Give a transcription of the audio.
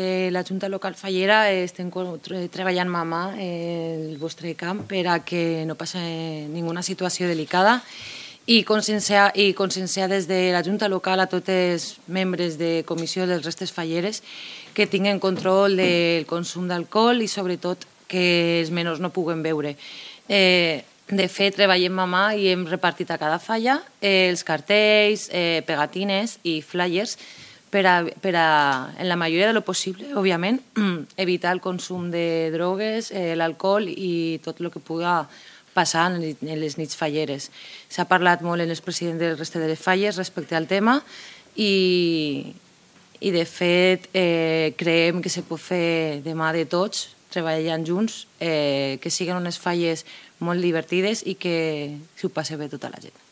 La Junta Local Fallera estem treballant mà a mà el vostre camp per a que no passi ninguna situació delicada i conscienciar des de la Junta Local a tots els membres de comissió dels restes falleres que tinguen control del consum d'alcohol i sobretot que els menors no puguen beure. De fet, treballem mà a mà i hem repartit a cada falla els cartells, pegatines i flyers per a, en la majoria de lo possible, òbviament, evitar el consum de drogues, l'alcohol i tot el que puga passar en les nits falleres. S'ha parlat molt en el president del Restes de les Falles respecte al tema i de fet, creiem que se pot fer de mà de tots, treballant junts, que siguin unes falles molt divertides i que s'ho passi bé tota la gent.